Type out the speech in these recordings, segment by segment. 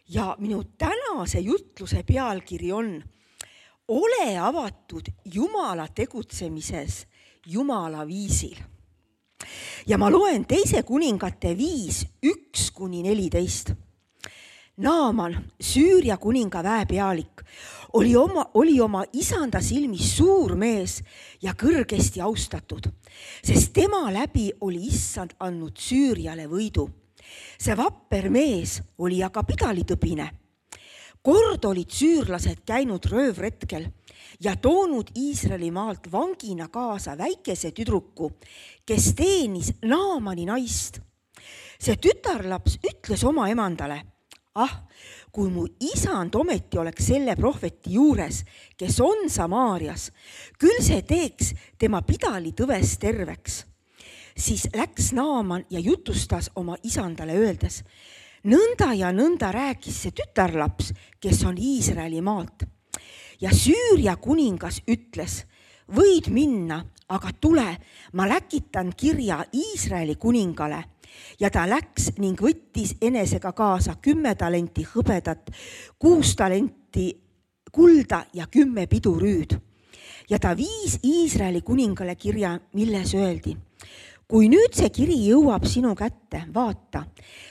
Ja minu tänase jutluse pealkiri on Ole avatud Jumala tegutsemises Jumala viisil. Ja ma loen 2 Kuningate 5, 1-14. Naaman, Süüria kuninga väepealik, oli oma isanda silmis suur mees ja kõrgesti austatud, sest tema läbi oli issand andnud Süüriale võidu. See vapper mees oli aga pidalitõbine. Kord olid süürlased käinud röövretkel ja toonud Iisraeli maalt vangina kaasa väikese tüdruku, kes teenis Naamani naist. See tütarlaps ütles oma emandale, kui mu isand ometi oleks selle prohveti juures, kes on Samaarias, küll see teeks tema pidalitõves terveks. Siis läks Naaman ja jutustas oma isandale öeldes, nõnda ja nõnda rääkis see tütarlaps, kes on Iisraeli maalt. Ja Süüria kuningas ütles, võid minna, aga tule, ma läkitan kirja Iisraeli kuningale. Ja ta läks ning võttis enesega kaasa 10 talenti hõbedat, 6 talenti kulda ja 10 pidurüüd. Ja ta viis Iisraeli kuningale kirja, milles öeldi, kui nüüd see kiri jõuab sinu kätte, vaata,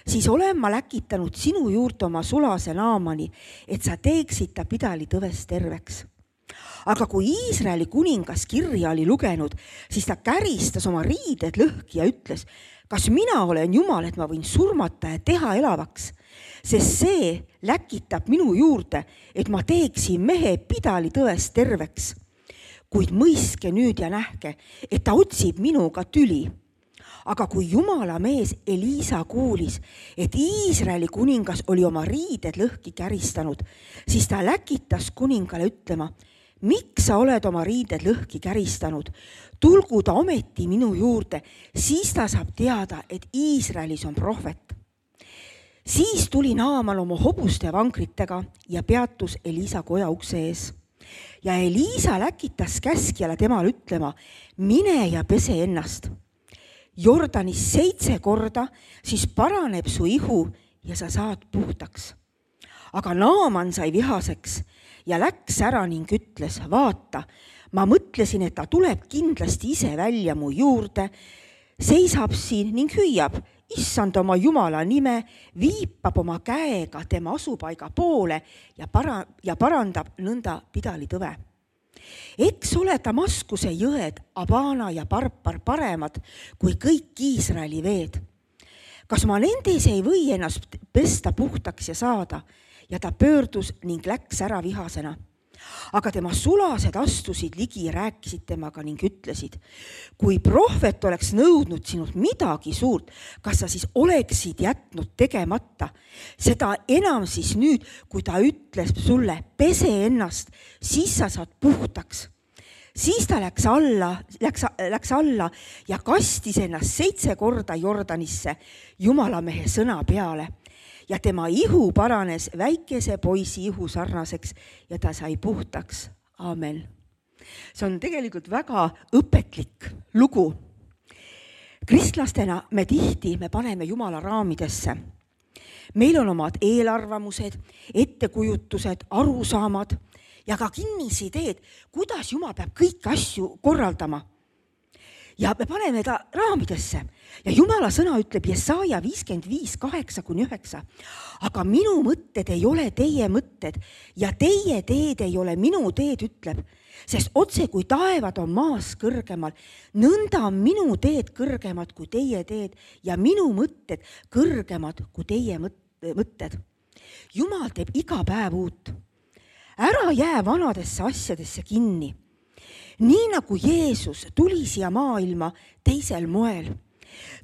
siis olen ma läkitanud sinu juurde oma sulase Naamani, et sa teeksid ta pidalitõves terveks. Aga kui Iisraeli kuningas kirja oli lugenud, siis ta käristas oma riided lõhki ja ütles, kas mina olen Jumal, et ma võin surmata ja teha elavaks, sest see läkitab minu juurde, et ma teeksin mehe pidalitõves terveks. Kuid mõiske nüüd ja nähke, et ta otsib minuga tüli. Aga kui Jumala mees Eliisa kuulis, et Iisraeli kuningas oli oma riided lõhki käristanud, siis ta läkitas kuningale ütlema, miks sa oled oma riided lõhki käristanud? Tulgu ta ometi minu juurde, siis ta saab teada, et Iisraelis on prohvet. Siis tuli Naaman oma hobuste vankritega ja peatus Eliisa koja ukse ees. Ja Eliisa läkitas käskjale temal ütlema, mine ja pese ennast. Jordanis 7 korda, siis paraneb su ihu ja sa saad puhtaks. Aga Naaman sai vihaseks ja läks ära ning ütles, vaata, ma mõtlesin, et ta tuleb kindlasti ise välja mu juurde, seisab siin ning hüüab, issand oma Jumala nime, viipab oma käega tema asupaiga poole ja parandab nõnda pidalitõve. Eks ole Damaskuse jõed, Abana ja Parpar paremad kui kõik Iisraeli veed. Kas ma nendes ei või ennast pesta puhtaks ja saada? Ja ta pöördus ning läks ära vihasena. Aga tema sulased astusid ligi ja rääkisid temaga ning ütlesid, kui prohvet oleks nõudnud sinult midagi suurt, kas sa siis oleksid jätnud tegemata? Seda enam siis nüüd, kui ta ütles sulle, pese ennast, siis sa saad puhtaks. Siis ta läks alla ja kastis ennast 7 korda Jordanisse Jumalamehe sõna peale. Ja tema ihu paranes väikese poisi ihu sarnaseks ja ta sai puhtaks. Aamen. See on tegelikult väga õpetlik lugu. Kristlastena me paneme Jumala raamidesse. Meil on omad eelarvamused, ettekujutused, arusaamad ja ka kinnisideed, kuidas Jumal peab kõiki asju korraldama. Ja me paneme ta raamidesse. Ja Jumala sõna ütleb Jesaja 55, 8-9. Aga minu mõtted ei ole teie mõtted ja teie teed ei ole minu teed, ütleb. Sest otse kui taevad on maas kõrgemal, nõnda on minu teed kõrgemad kui teie teed ja minu mõtted kõrgemad kui teie mõtted. Jumal teeb iga päev uut. Ära jää vanadesse asjadesse kinni. Nii nagu Jeesus tuli siia maailma teisel moel.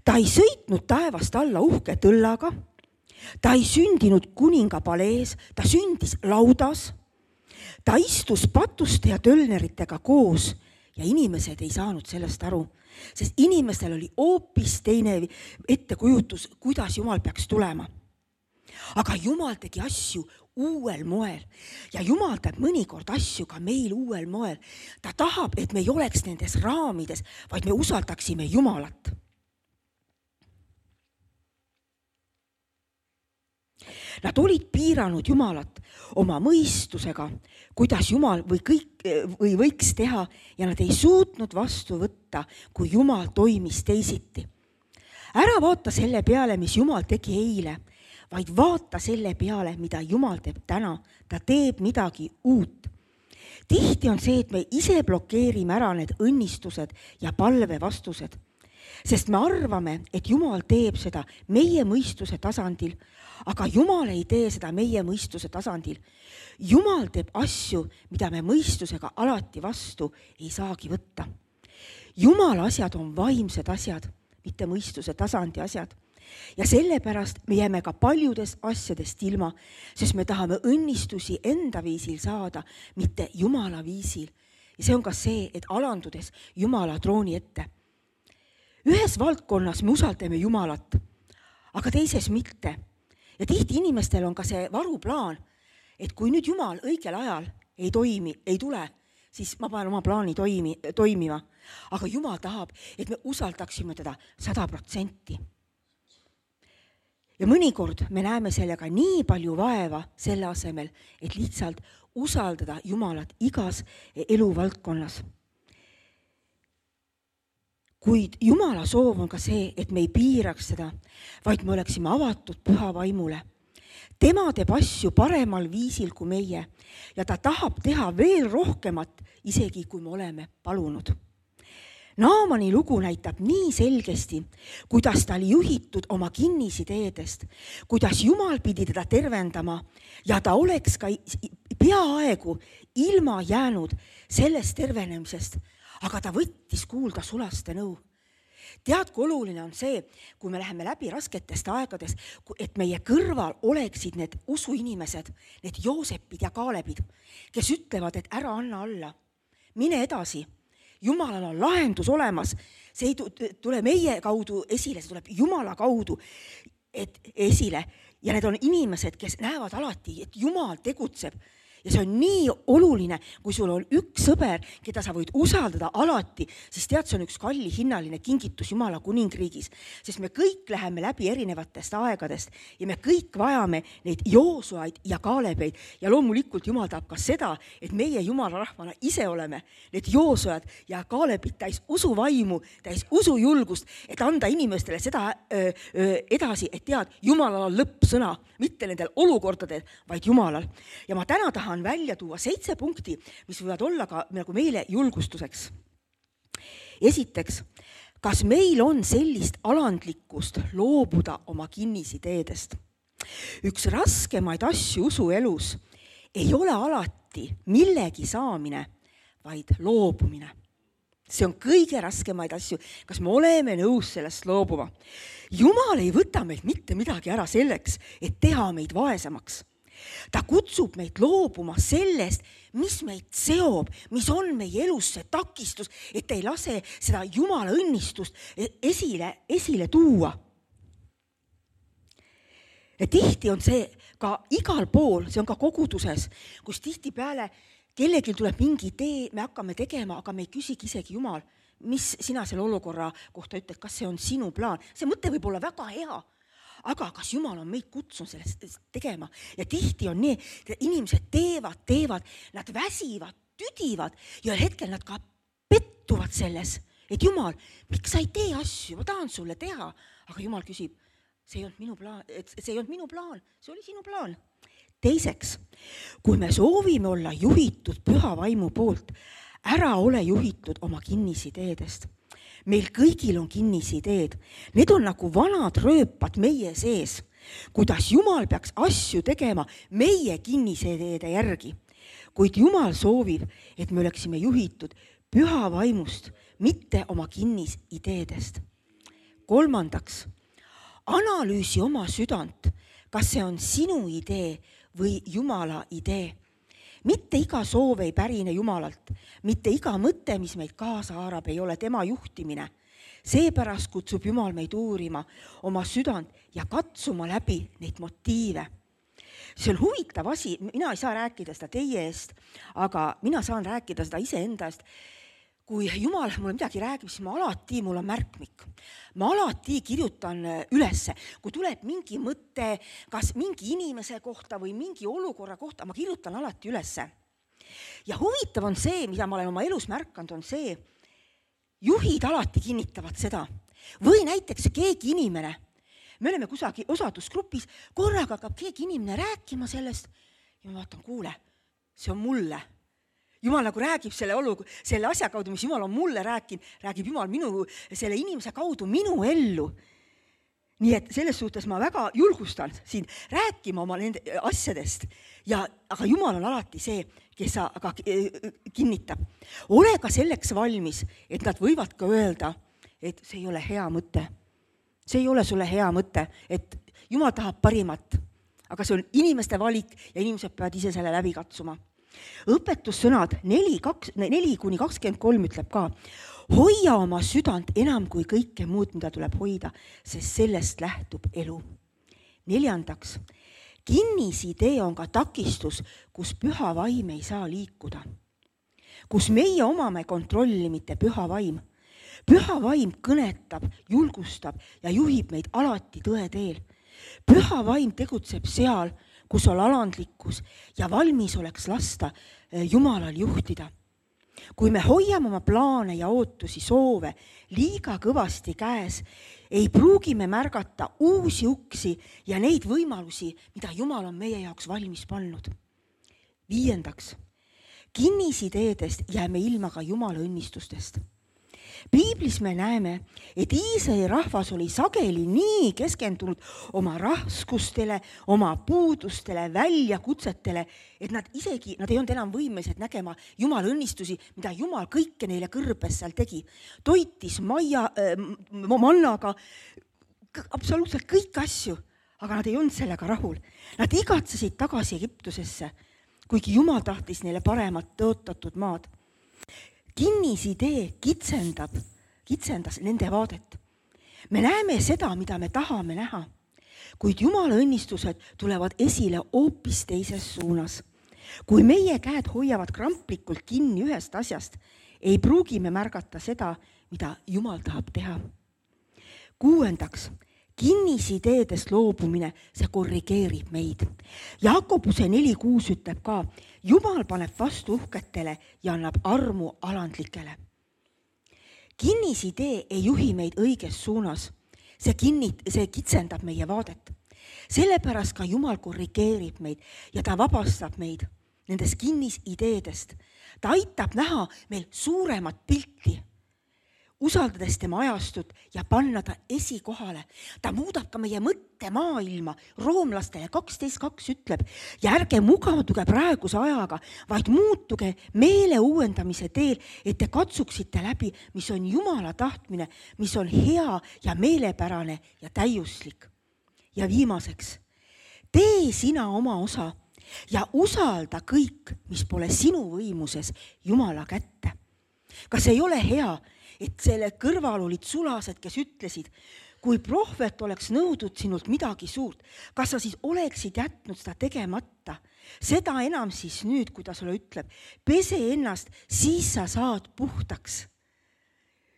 Ta ei sõitnud taevast alla uhke tõllaga. Ta ei sündinud kuninga palees, ta sündis laudas. Ta istus patuste ja tölneritega koos ja inimesed ei saanud sellest aru, sest inimestel oli hoopis teine ettekujutus, kuidas Jumal peaks tulema. Aga Jumal tegi asju uuel moel ja Jumal teeb mõnikord asju ka meil uuel moel. Ta tahab, et me ei oleks nendes raamides, vaid me usaldaksime Jumalat. Nad olid piiranud Jumalat oma mõistusega, kuidas Jumal või võiks teha ja nad ei suutnud vastu võtta, kui Jumal toimis teisiti. Ära vaata selle peale, mis Jumal tegi eile, vaid vaata selle peale, mida Jumal teeb täna. Ta teeb midagi uut. Tihti on see, et me ise blokeerime ära need õnnistused ja palve vastused, sest me arvame, et Jumal teeb seda meie mõistuse tasandil, aga Jumal ei tee seda meie mõistuse tasandil. Jumal teeb asju, mida me mõistusega alati vastu ei saagi võtta. Jumala asjad on vaimsed asjad, mitte mõistuse tasandi asjad. Ja sellepärast me jääme ka paljudest asjadest ilma, sest me tahame õnnistusi enda viisil saada, mitte Jumala viisil. Ja see on ka see, et alandudes Jumala trooni ette. Ühes valdkonnas me usaldame Jumalat, aga teises mitte. Ja tihti inimestel on ka see varuplaan, et kui nüüd Jumal õigel ajal ei tule, siis ma panen oma plaani toimima. Aga Jumal tahab, et me usaldaksime teda 100%. Ja mõnikord me näeme sellega nii palju vaeva selle asemel, et lihtsalt usaldada Jumalat igas eluvaldkonnas. Kuid Jumala soov on ka see, et me ei piiraks seda, vaid me oleksime avatud püha vaimule. Tema teeb asju paremal viisil kui meie ja ta tahab teha veel rohkemat, isegi kui me oleme palunud. Naamani lugu näitab nii selgesti, kuidas ta oli juhitud oma kinnisideedest, kuidas Jumal pidi teda tervendama ja ta oleks ka peaaegu ilma jäänud sellest tervenemisest, aga ta võttis kuulda sulaste nõu. Tead, kui oluline on see, kui me läheme läbi rasketest aegades, et meie kõrval oleksid need usuinimesed, need Joosepid ja Kaalebid, kes ütlevad, et ära anna alla, mine edasi. Jumalal on lahendus olemas, see ei tule meie kaudu esile, see tuleb Jumala kaudu esile. Ja need on inimesed, kes näevad alati, et Jumal tegutseb. Ja see on nii oluline, kui sul on üks sõber, keda sa võid usaldada alati, siis tead, see on üks kalli hinnaline kingitus Jumala kuningriigis, sest me kõik läheme läbi erinevatest aegadest ja me kõik vajame neid Joosuaid ja Kaalebeid ja loomulikult Jumal tahab ka seda, et meie Jumala rahvana ise oleme need Joosuad ja Kaalebid täis usuvaimu, täis usujulgust, et anda inimestele seda edasi, et tead, Jumalal on lõppsõna, mitte nendel olukordadel, vaid Jumalal. Ja ma täna tahan välja tuua 7 punkti, mis võivad olla ka nagu meile julgustuseks. Esiteks, kas meil on sellist alandlikkust loobuda oma kinnisideedest? Üks raskemaid asju usuelus ei ole alati millegi saamine, vaid loobumine. See on kõige raskemaid asju, kas me oleme nõus sellest loobuma. Jumal ei võta meilt mitte midagi ära selleks, et teha meid vaesemaks. Ta kutsub meid loobuma sellest, mis meid seob, mis on meie elus see takistus, et ei lase seda Jumala õnnistust esile tuua. Ja tihti on see ka igal pool, see on ka koguduses, kus tihtipeale kellelgi tuleb mingi idee, me hakkame tegema, aga me ei küsigi isegi Jumal, mis sina selle olukorra kohta ütled, kas see on sinu plaan. See mõte võib olla väga hea. Aga kas Jumal on meid kutsunud sellest tegema? Ja tihti on nii, et inimesed teevad, nad väsivad, tüdivad ja hetkel nad ka pettuvad selles, et Jumal, miks sa ei tee asju, ma tahan sulle teha. Aga Jumal küsib, see ei olnud minu plaan, see oli sinu plaan. Teiseks, kui me soovime olla juhitud püha vaimu poolt, ära ole juhitud oma kinnisideedest. Meil kõigil on kinnisideed. Need on nagu vanad rööpad meie sees, kuidas Jumal peaks asju tegema meie kinnisideede järgi. Kuid Jumal soovib, et me oleksime juhitud püha vaimust, mitte oma kinnisideedest. Kolmandaks, analüüsi oma südant, kas see on sinu idee või Jumala idee. Mitte iga soov ei pärine Jumalalt, mitte iga mõte, mis meid kaasa haarab, ei ole tema juhtimine. Seepärast kutsub Jumal meid uurima oma südant ja katsuma läbi neid motiive. See on huvitav asi, mina ei saa rääkida seda teie eest, aga mina saan rääkida seda iseenda eest. kui Jumal mulle midagi räägib, siis mul on märkmik. Ma alati kirjutan ülesse, kui tuleb mingi mõte, kas mingi inimese kohta või mingi olukorra kohta, ma kirjutan alati ülesse. Ja huvitav on see, mida ma olen oma elus märkanud, on see, juhid alati kinnitavad seda. Või näiteks keegi inimene, me oleme kusagil osadusgrupis, korraga hakkab keegi inimene rääkima sellest ja ma vaatan, kuule, see on mulle. Jumal nagu räägib selle asja kaudu, mis Jumal on mulle rääkinud, räägib Jumal selle inimese kaudu minu ellu. Nii et selles suhtes ma väga julgustan siin rääkima oma nende asjadest, aga Jumal on alati see, kes aga kinnitab. Ole ka selleks valmis, et nad võivad ka öelda, et see ei ole hea mõte. See ei ole sulle hea mõte, et Jumal tahab parimat, aga see on inimeste valik ja inimesed peavad ise selle läbi katsuma. Õpetussõnad 4-23 ütleb ka, hoia oma südant enam kui kõike muud, mida tuleb hoida, sest sellest lähtub elu. 4. Kinnisidee on ka takistus, kus püha vaim ei saa liikuda. Kus meie omame kontrolli, mitte püha vaim. Püha vaim kõnetab, julgustab ja juhib meid alati tõe teel. Püha vaim tegutseb seal, kus on alandlikkus ja valmis oleks lasta Jumalal juhtida. Kui me hoiame oma plaane ja ootusi, soove liiga kõvasti käes, ei pruugi me märgata uusi uksi ja neid võimalusi, mida Jumal on meie jaoks valmis pannud. 5. Kinnisideedest jääme ilma ka Jumala õnnistustest. Piiblis me näeme, et Iisraeli rahvas oli sageli nii keskendunud oma raskustele, oma puudustele, väljakutsetele, et nad ei olnud enam võimelised nägema Jumala õnnistusi, mida Jumal kõike neile kõrbes seal tegi. Toitis mannaga, absoluutselt kõik asju, aga nad ei olnud sellega rahul. Nad igatsesid tagasi Egiptusesse, kuigi Jumal tahtis neile paremat tõotatud maad. Kinnisidee kitsendas nende vaadet. Me näeme seda, mida me tahame näha, kuid Jumala õnnistused tulevad esile hoopis teises suunas. Kui meie käed hoiavad kramplikult kinni ühest asjast, ei pruugi me märgata seda, mida Jumal tahab teha. 6. Kinnisideedest loobumine, see korrigeerib meid. Jakobuse 4.6 ütleb ka, Jumal paneb vastu uhketele ja annab armu alandlikele. Kinnisidee ei juhi meid õiges suunas. See kitsendab meie vaadet. Sellepärast ka Jumal korrigeerib meid ja ta vabastab meid nendest kinnisideedest. Ta aitab näha meil suuremat pilti, usaldades tema ajastut ja panna ta esikohale. Ta muudab ka meie mõttemaailma. Roomlastele 12.2 ütleb, ja ärge mugaduge praeguse ajaga, vaid muutuge meele uuendamise teel, et te katsuksite läbi, mis on Jumala tahtmine, mis on hea ja meelepärane ja täiuslik. Ja viimaseks, tee sina oma osa ja usalda kõik, mis pole sinu võimuses, Jumala kätte. Kas ei ole hea, et selle kõrval olid sulased, kes ütlesid, kui prohvet oleks nõudnud sinult midagi suurt, kas sa siis oleksid jätnud seda tegemata? Seda enam siis nüüd, kui ta sulle ütleb, pese ennast, siis sa saad puhtaks.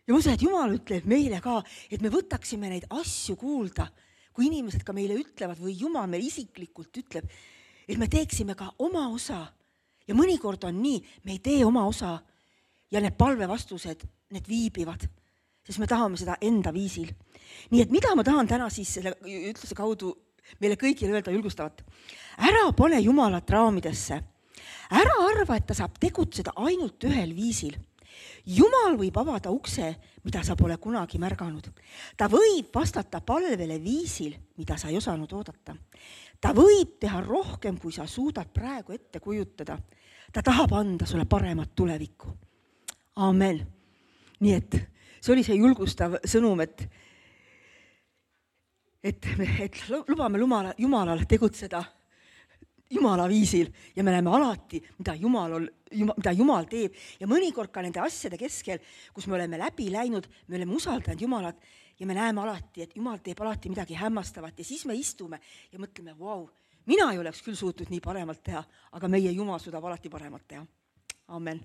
Ja ma usun, et Jumal ütleb meile ka, et me võtaksime neid asju kuulda, kui inimesed ka meile ütlevad või Jumal meil isiklikult ütleb, et me teeksime ka oma osa. Ja mõnikord on nii, me ei tee oma osa ja need palvevastused, need viibivad, sest me tahame seda enda viisil. Nii et mida ma tahan täna siis selle ütluse kaudu meile kõigile öelda julgustavat? Ära pane Jumalat raamidesse. Ära arva, et ta saab tegutseda ainult ühel viisil. Jumal võib avada ukse, mida sa pole kunagi märganud. Ta võib vastata palvele viisil, mida sa ei osanud oodata. Ta võib teha rohkem, kui sa suudad praegu ette kujutada. Ta tahab anda sulle paremat tulevikku. Amen. Nii et see oli see julgustav sõnum, et lubame Jumalal tegutseda Jumala viisil ja me näeme alati, mida Jumal teeb. Ja mõnikord ka nende asjade keskel, kus me oleme läbi läinud, me oleme usaldanud Jumalat ja me näeme alati, et Jumal teeb alati midagi hämmastavat ja siis me istume ja mõtleme, vau, mina ei oleks küll suutnud nii paremalt teha, aga meie Jumal suudab alati paremat teha. Amen.